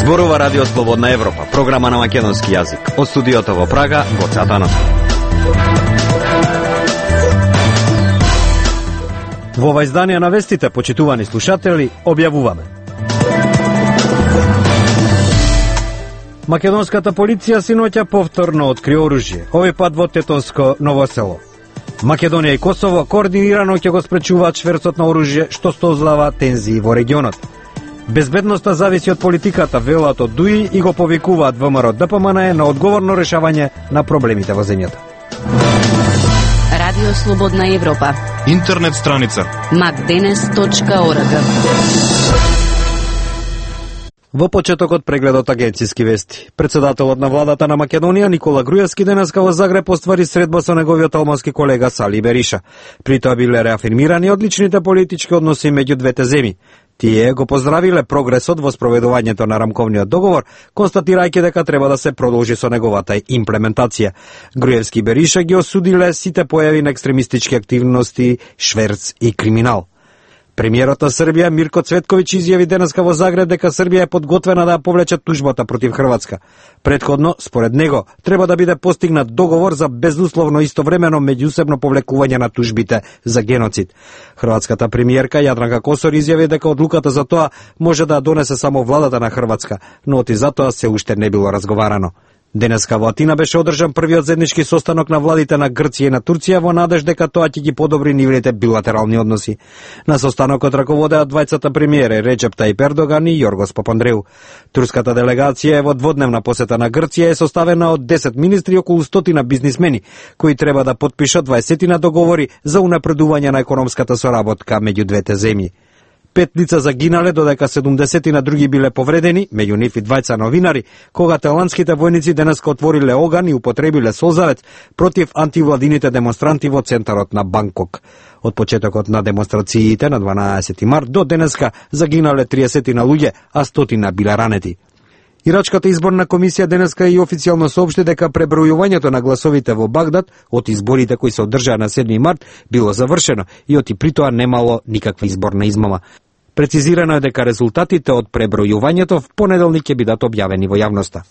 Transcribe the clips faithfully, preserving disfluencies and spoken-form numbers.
Зборува Радио Слободна Европа, програма на македонски јазик. Од студиото во Прага, Гоце Атанов. Во ова издание на вестите, почитувани слушатели, објавуваме. Македонската полиција синоќа повторно откри оружје, овој пат во Тетонско Ново село. Македонија и Косово координирано ќе го спречуваат шверцот на оружје, што создава тензии во регионот. Безбедноста зависи од политиката, велат од ДУИ и го повикуваат ВМРО ДПМН на одговорно решавање на проблемите во земјата. Радио Слободна Европа. Интернет страница макденес точка орг. Во почетокот прегледот агенцијски вести. Председателот на владата на Македонија Никола Груевски денеска во Загреб оствари средба со неговиот албански колега Сали Бериша. При тоа биле реафирмирани одличните политички односи меѓу двете земји. Тие го поздравиле прогресот во спроведувањето на рамковниот договор, констатирајќи дека треба да се продолжи со неговата имплементација. Груевски и Бериша ги осудиле сите појави на екстремистички активности, шверц и криминал. Премиерот на Србија Мирко Цветковиќ изјави денеска во Загреб дека Србија е подготвена да ја повлече тужбата против Хрватска. Предходно, според него, треба да биде постигнат договор за безусловно истовремено меѓусебно повлекување на тужбите за геноцид. Хрватската премиерка Јадранка Косор изјави дека одлуката за тоа може да ја донесе само владата на Хрватска, но оти за тоа се уште не било разговарано. Денеска во Атина беше одржан првиот заеднички состанок на владите на Грција и на Турција во надеж дека тоа ќе ги подобри нивните билатерални односи. На состанокот раководеа двајцата премиери Реджеп Тајип Ердоган и Јоргос Папандреу. Турската делегација е во дводневна посета на Грција е составена од десет министри и околу стотина бизнисмени, кои треба да потпишат дваесет договори за унапредување на економската соработка меѓу двете земји. Пет лица загинале, додека седумдесет на други биле повредени, меѓу нив и двајца новинари, кога таиландските војници денеска отвориле оган и употребиле солзавец против антивладините демонстранти во центарот на Банкок. Од почетокот на демонстрациите на дванаесети март до денеска загинале триесет на луѓе, а стотина биле ранети. Ирачката изборна комисија денеска и официјално соопшти дека пребројувањето на гласовите во Багдад од изборите кои се одржаа на седми март било завршено и оти при тоа немало никаква изборна измама. Прецизирано е дека резултатите од пребројувањето в понеделник ќе бидат објавени во јавноста.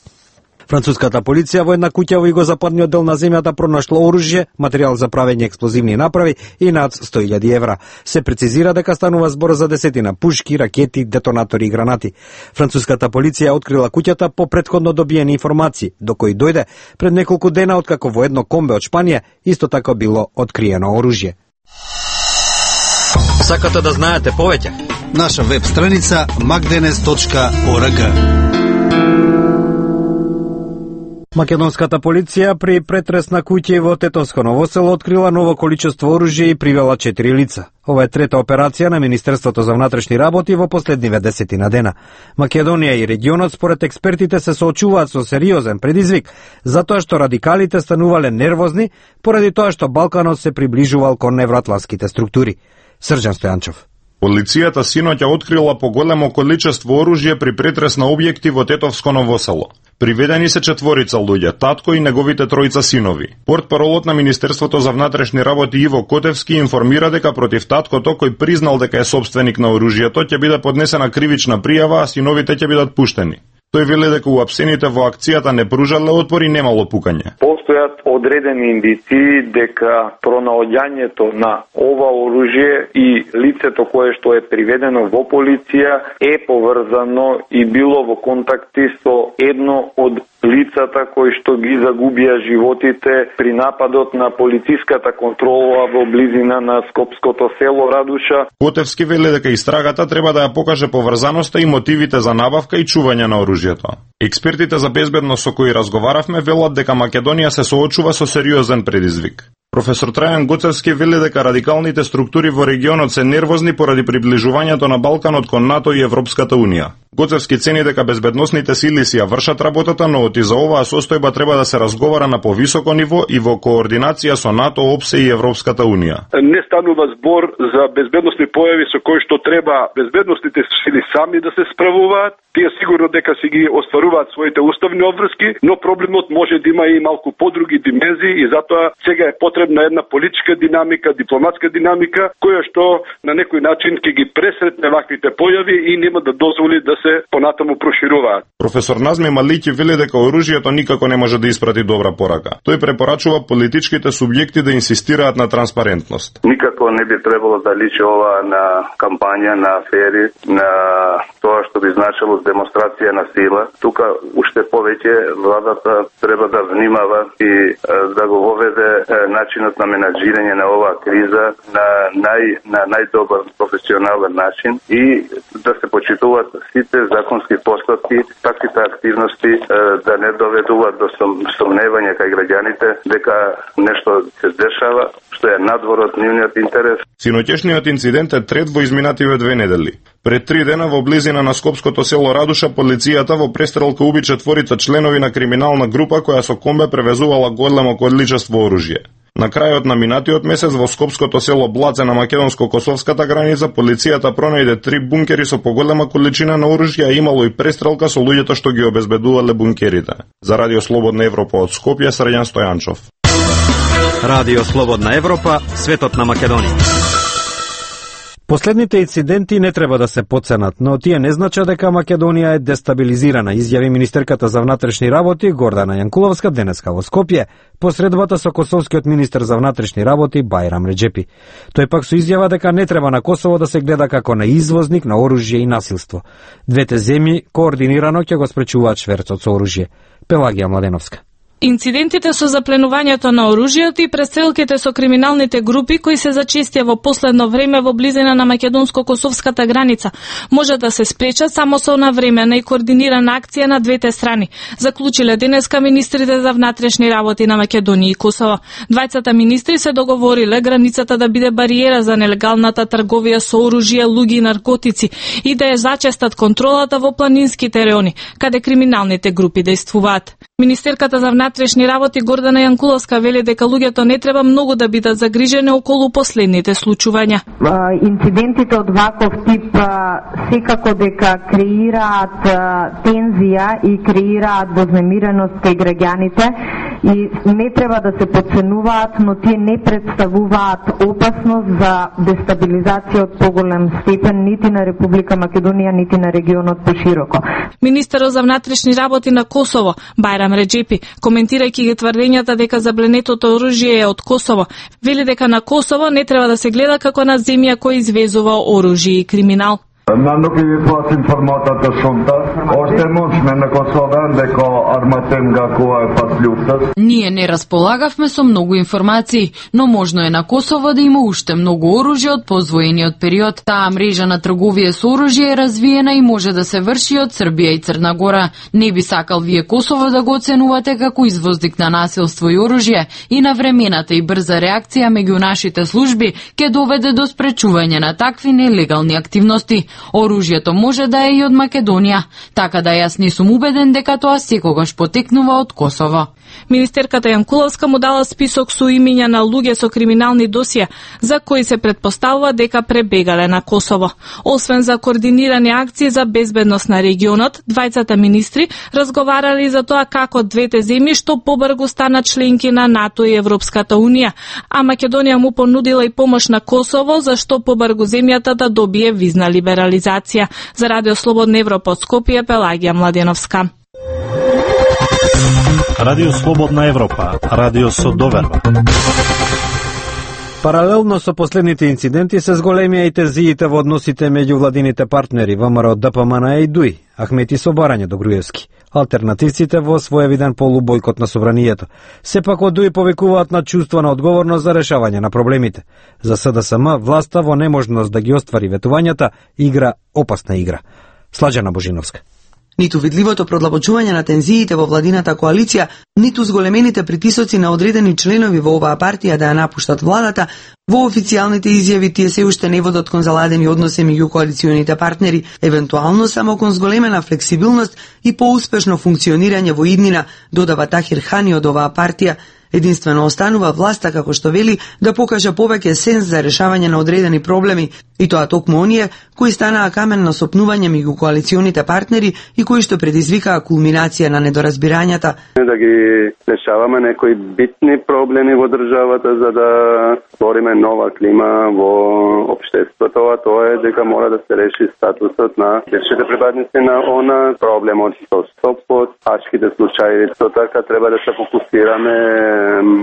Француската полиција во една куќа во југозападниот дел на земјата пронашла оружје, материјал за правење експлозивни направи и над сто илјади евра. Се прецизира дека станува збор за десетина пушки, ракети, детонатори и гранати. Француската полиција открила куќата по претходно добиени информации, до кои дојде пред неколку дена откако во едно комбе од Шпанија исто така било откриено оружје. Сакате да знаете повеќе? Наша веб страница макденес точка орг. Македонската полиција при претрес на куќи во Тетонско Ново село открила ново количество оружје и привела четири лица. Ова е трета операција на Министерството за внатрешни работи во последниве десетина дена. Македонија и регионот според експертите се соочуваат со сериозен предизвик, затоа што радикалите станувале нервозни поради тоа што Балканот се приближувал кон евроатлантските структури. Срđan Стојанчов. Полицијата синоќа открила поголемо количество оружје при претрес на објекти во Тетовско Ново село. Приведени се четворица луѓе, татко и неговите тројца синови. Портпаролот на Министерството за внатрешни работи Иво Котевски информира дека против таткото, кој признал дека е собственик на оружјето, ќе биде поднесена кривична пријава, а синовите ќе бидат пуштени. Тој вели дека уапсените во акцијата не пружале отпор и немало пукање. Постојат одредени индиции дека пронаоѓањето на ова оружје и лицето кое што е приведено во полиција е поврзано и било во контакти со едно од лицата кои што ги загубија животите при нападот на полициската контрола во близина на скопското село Радуша. Котевски вели дека истрагата треба да ја покаже поврзаноста и мотивите за набавка и чување на оружјето. Експертите за безбедност со кои разговаравме велат дека Македонија се соочува со сериозен предизвик. Професор Трајан Гоцевски вели дека радикалните структури во регионот се нервозни поради приближувањето на Балканот кон НАТО и Европската Унија. Гоцевски цени дека безбедносните сили си ја вршат работата, но оти за оваа состојба треба да се разговара на повисоко ниво и во координација со НАТО, ОПСЕ и Европската Унија. Не станува збор за безбедносни појави со кои што треба безбедносните сили сами да се справуваат. Тие сигурно дека си ги остваруваат своите уставни обврски, но проблемот може да има и малку подруги димензии и затоа сега е потребна една политичка динамика, дипломатска динамика, која што на некој начин ќе ги пресретне ваквите појави и нема да дозволи да се се понатаму прошируваат. Професор Назми Малики вели дека оружјето никако не може да испрати добра порака. Тој препорачува политичките субјекти да инсистираат на транспарентност. Никако не би требало да личи ова на кампања, на афери, на тоа што би значило демонстрација на сила. Тука уште повеќе владата треба да внимава и да го воведе начинот на менаџирање на оваа криза на нај на најдобар професионален начин и да се почитуваат сите законски постапки, таквите активности да не доведуваат до сомневање кај граѓаните дека нешто се дешава што е надвор од нивниот интерес. Синоќешниот инцидент е трет во изминативе две недели. Пред три дена во близина на скопското село Радуша полицијата во престрелка уби четворица членови на криминална група која со комбе превезувала големо количество оружје. На крајот на минатиот месец во скопското село Блаце на македонско-косовската граница полицијата пронајде три бункери со поголема количина на оружје, а имало и престрелка со луѓето што ги обезбедувале бункерите. За Радио Слободна Европа од Скопје, Срđan Стојанчов. Радио Слободна Европа, светот на Македонија. Последните инциденти не треба да се подценат, но тие не значат дека Македонија е дестабилизирана, изјави министерката за внатрешни работи Гордана Јанкуловска денеска во Скопје, посредбата со косовскиот министер за внатрешни работи Бајрам Реџепи. Тој пак со изјава дека не треба на Косово да се гледа како на извозник на оружје и насилство. Двете земји координирано ќе го спречуваат шверцот со оружје. Пелагија Младеновска. Инцидентите со запленувањето на оружјето и престрелките со криминалните групи кои се зачестија во последно време во близина на македонско-косовската граница може да се спречат само со навремена и координирана акција на двете страни, заклучиле денеска министрите за внатрешни работи на Македонија и Косово. Двајцата министри се договориле границата да биде бариера за нелегалната трговија со оружје, луѓе и наркотици и да ја зачестат контролата во планинските реони, каде криминалните групи действуваат. Министерката за внатрешни работи Гордана Јанкуловска вели дека луѓето не треба многу да бидат загрижени околу последните случувања. Инцидентите од ваков тип секако дека креираат тензија и креираат вознемиреност кај граѓаните и не треба да се подценуваат, но тие не представуваат опасност за дестабилизација од поголем степен нити на Република Македонија, нити на регионот пошироко. Министерот за внатрешни работи на Косово Бајрам Реџепи, коментирајќи ги тврдењата дека забленетото оружје е од Косово, вели дека на Косово не треба да се гледа како на земја која извезува оружје и криминал. Na nuk i pas informata të shumta, është e mundshme në Kosovë дека арматем nga koha e pas luftës. Ние не располагавме со многу информации, но можно е на Косово да има уште многу оружје од позвоениот период. Таа мрежа на трговија со оружје е развиена и може да се врши од Србија и Црна Гора. Не би сакал вие Косово да го оценувате како извозник на насилство и оружје и навремената и брза реакција меѓу нашите служби ќе доведе до спречување на такви нелегални активности. Оружјето може да е и од Македонија, така да јас не сум убеден дека тоа секогаш потекнува од Косово. Министерката Јанкуловска му дала список со имиња на луѓе со криминални досија, за кои се претпоставува дека пребегале на Косово. Освен за координирани акции за безбедност на регионот, двајцата министри разговарали за тоа како двете земји што побрзо станат членки на НАТО и Европската Унија, а Македонија му понудила и помош на Косово за што побрзо земјата да добие визна либерализација. За Радио Слободна Европа од Скопје, Пелагија Младеновска. Радио Слободна Европа, радио со доверба. Паралелно со последните инциденти се зголемија и тензиите во односите меѓу владините партнери ВМРО, ДПМН и ДУИ, Ахмети со барање до Груевски. Алтернативците во своевиден полубојкот на собранието. Сепак од ДУИ повикуваат на чувство на одговорност за решавање на проблемите. За СДСМ, власта во неможност да ги оствари ветувањата игра опасна игра. Сладжана Божиновска. Ниту видливото продлабочување на тензиите во владината коалиција, ниту зголемените притисоци на одредени членови во оваа партија да ја напуштат владата, во официјалните изјави тие се уште не водат кон заладени односи меѓу коалиционите партнери, евентуално само кон зголемена флексибилност и поуспешно функционирање во иднина, додава Тахир Хани од оваа партија. Единствено останува власта, како што вели, да покаже повеќе сенс за решавање на одредени проблеми, и тоа токму оние кои станаа камен на сопнување меѓу коалиционите партнери и кои што предизвикаа кулминација на недоразбирањата. Да ги решаваме некои битни проблеми во државата за да створиме нова клима во општеството, а тоа е дека мора да се реши статусот на бившите припадници на ОНА, проблемот со стопот, хачките случаи. Со така треба да се фокусираме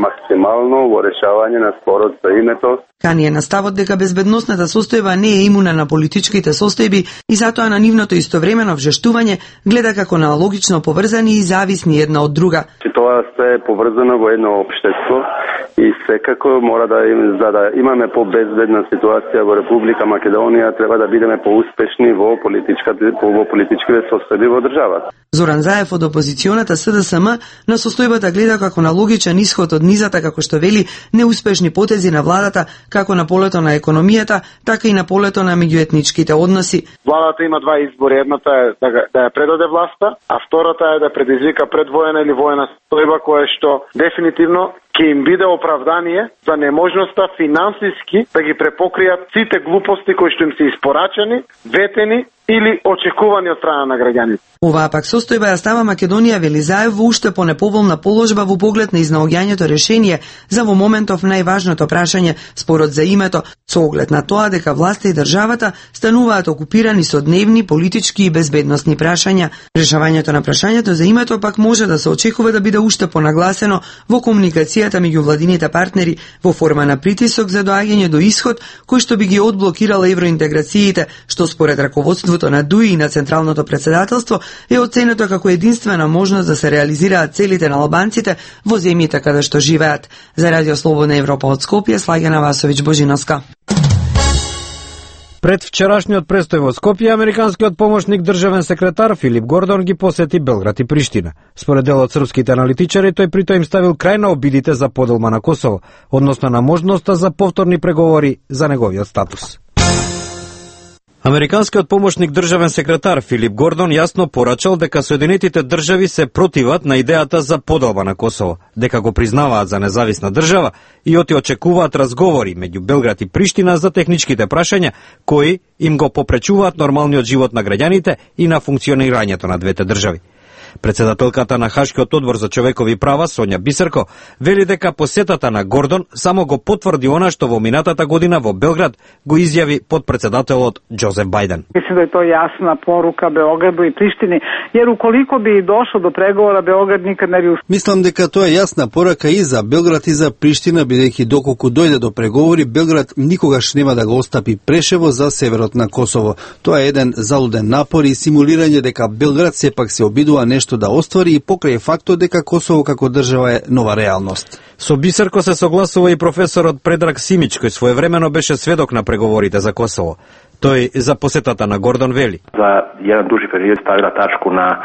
максимално во решавање на спорот за името. Кани е на ставот дека безбедносната состојба не е имуна на политичките состојби и затоа на нивното истовремено вжештување гледа како на логично поврзани и зависни една од друга. Тоа се е поврзано во едно општество и секако мора да им, за да имаме побезбедна ситуација во Република Македонија, треба да бидеме поуспешни во политичките во политичките состојби во државата. Зоран Заев од опозиционата СДСМ на состојбата гледа како на логичен исход од низата, како што вели, неуспешни потези на владата, како на полето на економијата, така и на полето на меѓуетничките односи. Владата има два избори, едната е да, да ја предаде власта, а втората е да предизвика предвоена или воена состојба која што дефинитивно ќе им биде оправдание за неможноста финансиски да ги препокријат сите глупости кои што им се испорачани, ветени или очекувани од страна на граѓаните. Оваа пак состојба ја става Македонија, вели Заев, во уште понеповолна положба во поглед на изнаоѓањето решение за во моментов најважното прашање, спорот за името, со оглед на тоа дека власта и државата стануваат окупирани со дневни, политички и безбедносни прашања. Решавањето на прашањето за името пак може да се очекува да биде уште понагласено во комуникацијата меѓу владините партнери во форма на притисок за доаѓање до исход кој што би ги одблокирал евроинтеграциите, што според раководството на ДУИ и на Централното председателство е оценето како единствена можност да се реализираат целите на албанците во земјите каде што живеат. За Радио Слободна Европа од Скопје, Слагена Васовиќ Божиновска. Пред вчерашниот престој во Скопје, американскиот помошник државен секретар Филип Гордон ги посети Белград и Приштина. Според дел од српските аналитичари, тој притоа им ставил крај на обидите за поделба на Косово, односно на можноста за повторни преговори за неговиот статус. Американскиот помошник државен секретар Филип Гордон јасно порачал дека Соединетите држави се противат на идејата за поделба на Косово, дека го признаваат за независна држава и оти очекуваат разговори меѓу Белград и Приштина за техничките прашања кои им го попречуваат нормалниот живот на граѓаните и на функционирањето на двете држави. Председателката на Хашкиот одбор за човекови права Сонја Бисерко вели дека посетата на Гордон само го потврди она што во минатата година во Белград го изјави подпредседателот Џозеф Бајден. Мислам да е тоа јасна порука Београду и Приштини, jer уколико би дошло до преговора Београд никад не би успел. Мислам дека тоа е јасна порака и за Белград и за Приштина, бидејќи доколку дојде до преговори, Белград никогаш нема да го остапи Прешево за северот на Косово. Тоа е еден залуден напор и симулирање дека Белград сепак се обидува нешто да оствари и покрај фактот дека Косово како држава е нова реалност. Со Бисерко се согласува и професорот Предраг Симич, кој своевремено беше сведок на преговорите за Косово. Тој за посетата на Гордон вели: За еден дужи период ставила тачку на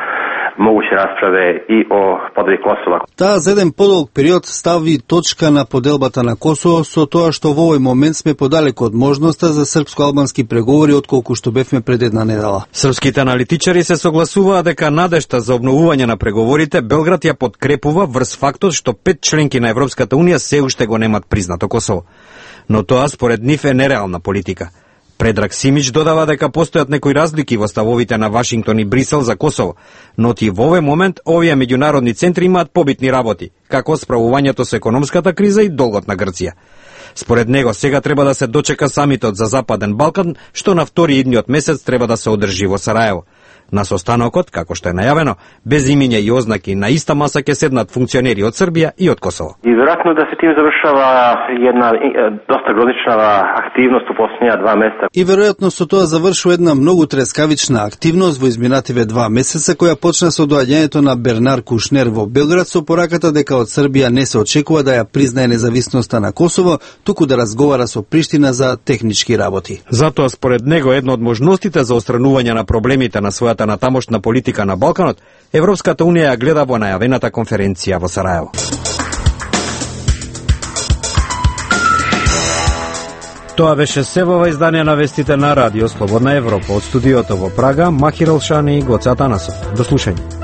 могуće расправе и о подели Косова. Таа за еден подолг период стави точка на поделбата на Косово со тоа што во овој момент сме подалеку од можноста за српско-албански преговори отколку што бевме пред една недела. Српските аналитичари се согласуваат дека надежта за обновување на преговорите Белград ја подкрепува врз фактот што пет членки на Европската унија се уште го немат признато Косово. Но тоа според нив е нереална политика. Предраг Симич додава дека постојат некои разлики во ставовите на Вашингтон и Брисел за Косово, но ти во овој момент овие меѓународни центри имаат побитни работи, како справувањето со економската криза и долгот на Грција. Според него сега треба да се дочека самитот за Западен Балкан, што на втори идниот месец треба да се одржи во Сараево. На состанокот, како што е најавено, без имиња и ознаки на иста маса ќе седнат функционери од Србија и од Косово. И веројатно да се тим завршава една доста грозична активност у последнија два месеца. И веројатно со тоа завршува една многу трескавична активност во изминативе два месеца која почна со доаѓањето на Бернар Кушнер во Белград со пораката дека од Србија не се очекува да ја признае независноста на Косово, туку да разговара со Приштина за технички работи. Затоа според него една од можностите за отстранување на проблемите на својата на тамошна политика на Балканот, Европската унија ја гледа во најавената конференција во Сараево. Тоа беше се во ова издание на вестите на Радио Слободна Европа. Од студиото во Прага, Махир Алшани и Гоце Атанасов. До слушање.